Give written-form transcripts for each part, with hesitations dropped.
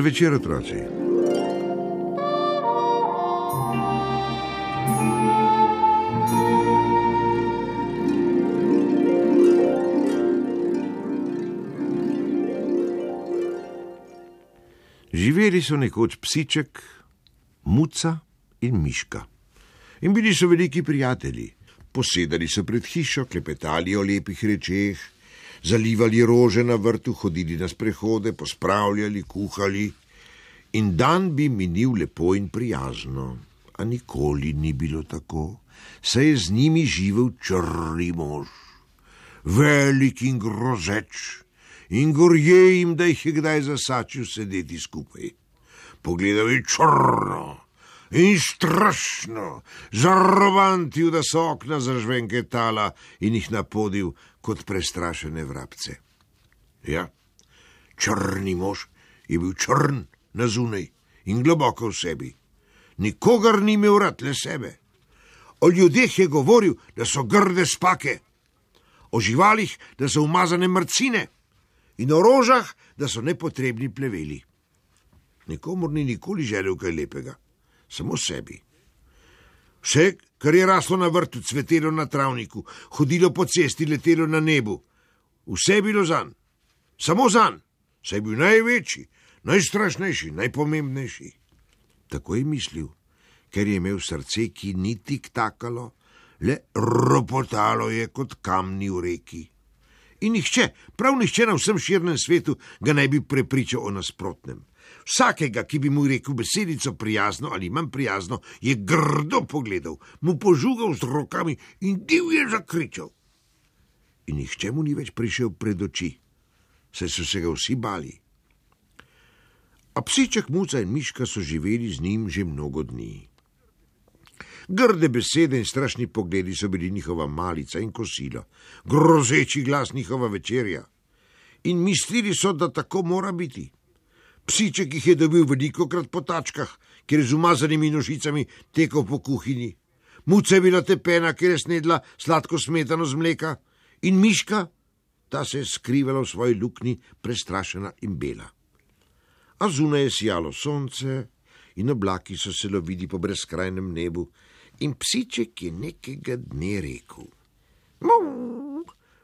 večer, otroci. Živeli so nekoč psiček, muca in miška. In bili so veliki prijatelji. Posedali so pred hišo, klepetali o lepih rečeh, zalivali rože na vrtu, hodili na sprehode, pospravljali, kuhali. In dan bi minil lepo in prijazno. A nikoli ni bilo tako, saj je z njimi živel črni mož. Velik in grozeč. In gorje jim, da jih je kdaj zasačil sedeti skupaj. Pogledal je črno in strašno, zarobantil, da so okna zažvenketala in jih napodil kot prestrašene vrabce. Ja, črni mož je bil črn na zunaj in globoko v sebi. Nikogar ni imel rad, le sebe. O ljudeh je govoril, da so grde spake, o živalih, da so umazane mrcine, in o rožah, da so nepotrebni pleveli. Nikomur ni nikoli želel kaj lepega, samo sebi. Vse, kar je raslo na vrtu, cvetelo na travniku, hodilo po cesti, letelo na nebu, vse je bilo zanj, samo zanj, saj je bil največji, najstrašnejši, najpomembnejši. Tako je mislil, ker je imel srce, ki ni tiktakalo, le ropotalo je kot kamni v reki. In nihče, prav nihče na vsem širnem svetu ga ne bi prepričal o nasprotnem. Vsakega, ki bi mu rekel besedico prijazno ali manj prijazno, je grdo pogledal, mu požugal z rokami in divje zakričal. In nihče mu ni več prišel pred oči, saj so se ga vsi bali. A psiček, muca in miška so živeli z njim že mnogo dni. Grde besede in strašni pogledi so bili njihova malica in kosilo, grozeči glas njihova večerja. In mislili so, da tako mora biti. Psiček jih je dobil velikokrat po tačkah, ker je z umazanimi nožicami tekel po kuhinji. Muca je bila tepena, ker je snedla sladko smetano z mleka. In miška, ta se je skrivala v svoji luknji, prestrašena in bela. A zunaj je sijalo sonce in oblaki so se lovili po brezkrajnem nebu. In psiček je nekega dne rekel: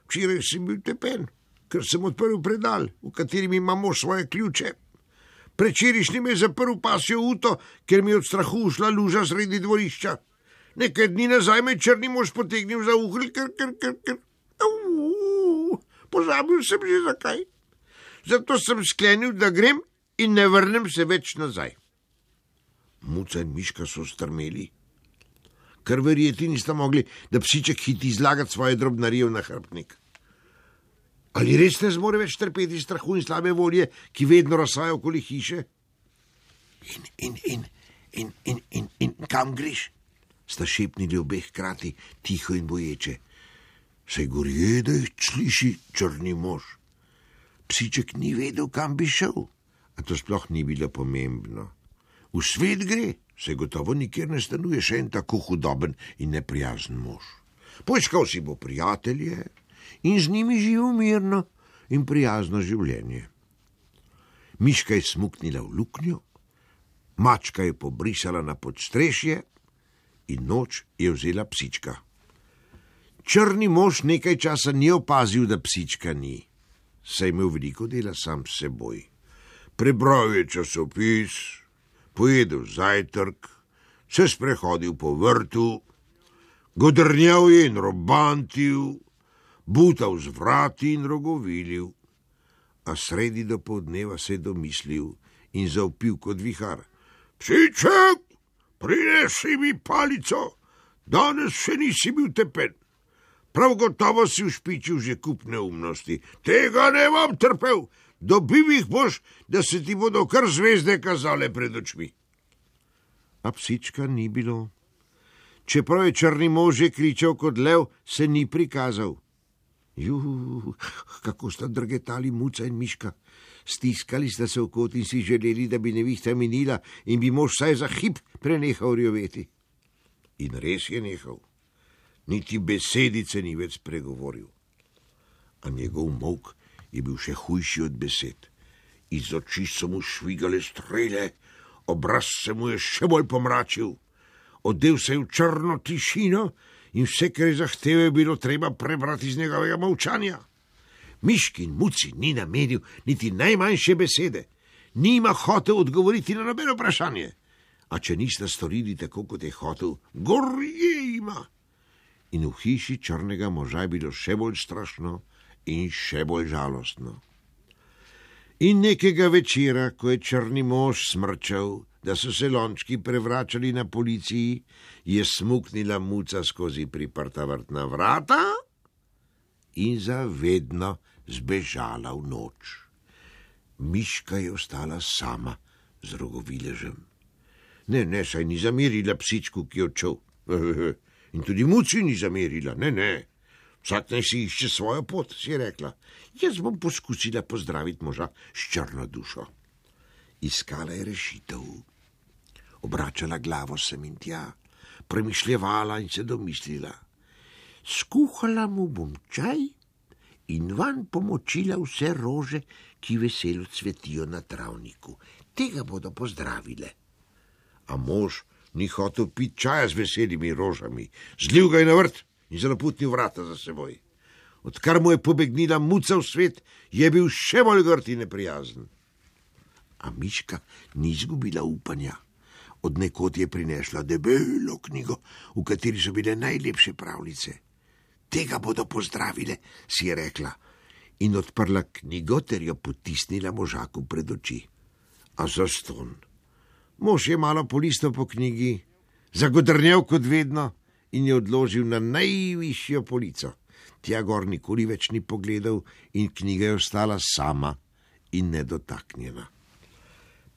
Včeraj sem bil tepen, ker sem odprl predal, v katerem imamo svoje ključe. Prečerišnji me je zaprl pasjo uto, ker mi je od strahu ušla luža sredi dvorišča. Nekaj dni nazaj me črni mož potegnil za uhlj, ker. Pozabil sem že zakaj. Zato sem sklenil, da grem in ne vrnem se več nazaj. Muca in miška so strmeli, ker verjeti nista mogli, da psiček hiti izlagati svoje drobnarije v nahrbtnik. Ali res ne zmore več trpeti strahu in slabe volje, ki vedno razsaja okoli hiše? In kam greš? Sta šepnili obeh hkrati, tiho in boječe. Saj gorje, da jih sliši črni mož. Psiček ni vedel, kam bi šel, a to sploh ni bilo pomembno. V svet gre, se gotovo nikjer ne stanuje še en tako hudoben in neprijazen mož. Poiskal si bo prijatelje in z njimi živel mirno in prijazno življenje. Miška je smuknila v luknjo, mačka je pobrisala na podstrešje in noč je vzela psička. Črni mož nekaj časa ni opazil, da psička ni, saj imel veliko dela sam s seboj. Prebral je časopis, pojedel zajtrk, se sprehodil po vrtu, godrnjal je in robantil, butal z vrati in rogovilil. A sredi dopoldneva se je domislil in zavpil kot vihar: Psiček, prinesi mi palico, danes še nisi bil tepen. Prav gotovo si ušpičil že kup neumnosti, tega ne bom trpel. Dobil jih boš, da se ti bodo kar zvezde kazale pred očmi. A psička ni bilo. Čeprav je črni mož že kričal kot lev, se ni prikazal. Kako sta drgetali muca in miška. Stiskali sta se v kot in si želeli, da bi nevihta minila in bi mož vsaj za hip prenehal rjoveti. In res je nehal. Niti besedice ni več spregovoril. A njegov molk je bil še hujši od besed Iz oči so mu švigale strele, obraz se mu je še bolj pomračil. Odel se je v črno tišino in vse, kar je zahteval, je bilo treba prebrati iz njegovega molčanja. Miški in Muci ni namenil niti najmanjše besede, nima hotel odgovoriti na nobeno vprašanje. A če nista storili tako, kot je hotel, gorje ima. In v hiši črnega moža je bilo še bolj strašno in še bolj žalostno. In nekega večera, ko je črni mož smrčal, da so se lončki prevračali na policiji, je smuknila Muca skozi priprta vrtna vrata in zavedno zbežala v noč. Miška je ostala sama z rogoviležem. Ne, saj ni zamerila psičku, ki je odšel. In tudi Muci ni zamerila, ne. Vsak naj si išče svojo pot, si je rekla. Jaz bom poskusila pozdraviti moža s črno dušo. Iskala je rešitev. Obračala glavo sem in tja, premišljevala in se domislila. Skuhala mu bom čaj in vanj pomočila vse rože, ki veselo cvetijo na travniku. Tega bodo pozdravile. A mož ni hotel piti čaja z veselimi rožami. Zlil ga je na vrt in zaloputnil vrata za seboj. Odkar mu je pobegnila Muca v svet, je bil še bolj grd in neprijazen. A Miška ni izgubila upanja. Od nekod je prinesla debelo knjigo, v kateri so bile najlepše pravljice. Tega bodo pozdravile, si je rekla, in odprla knjigo ter jo potisnila možaku pred oči. A zastonj. Mož je malo polistal po knjigi, zagodrnjal kot vedno in je odložil na najvišjo polico. Tja gor nikoli več ni pogledal in knjiga je ostala sama in nedotaknjena.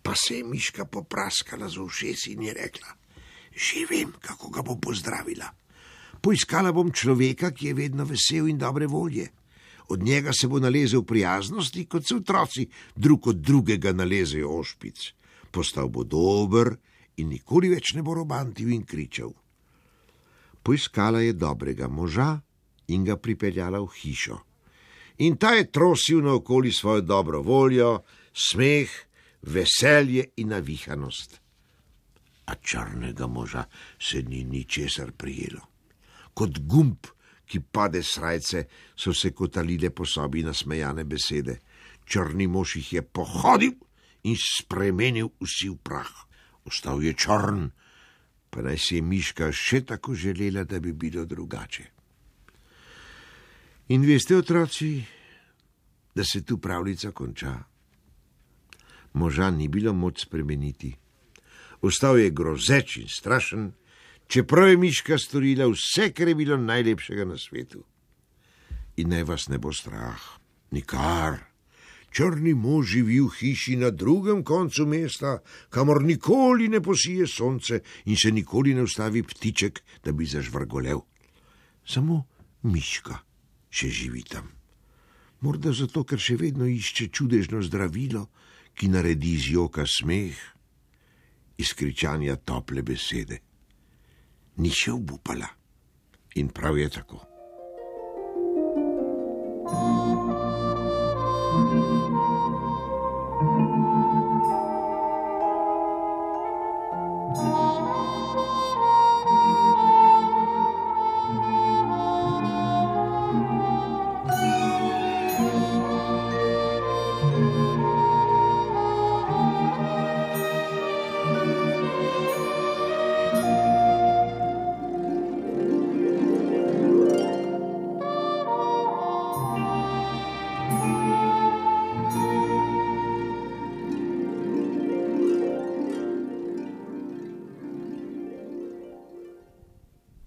Pa se je Miška popraskala z ušesi in je rekla, že vem, kako ga bom pozdravila. Poiskala bom človeka, ki je vedno vesel in dobre volje. Od njega se bo nalezel prijaznosti, kot se otroci drug od drugega nalezejo ošpic. Postal bo dober in nikoli več ne bo robantil in kričal. Poiskala je dobrega moža in ga pripeljala v hišo. In ta je trosil naokoli svojo dobro voljo, smeh, veselje in navihanost. A črnega moža se ni ničesar prijelo. Kot gumb, ki pade s srajce, so se kotalile po sobi nasmejane besede. Črni mož jih je pohodil in spremenil vsi v prah. Ostal je črn, pa naj si je Miška še tako želela, da bi bilo drugače. In veste, otroci, da se tu pravljica konča. Moža ni bilo moč spremeniti. Ostal je grozeč in strašen, čeprav je Miška storila vse, kar je bilo najlepšega na svetu. In naj vas ne bo strah, nikar. Črni mož živi v hiši na drugem koncu mesta, kamor nikoli ne posije sonce in se nikoli ne ustavi ptiček, da bi zažvrgolel. Samo Miška še živi tam. Morda zato, ker še vedno išče čudežno zdravilo, ki naredi iz joka smeh, iz kričanja tople besede. Ni še obupala. In prav je tako.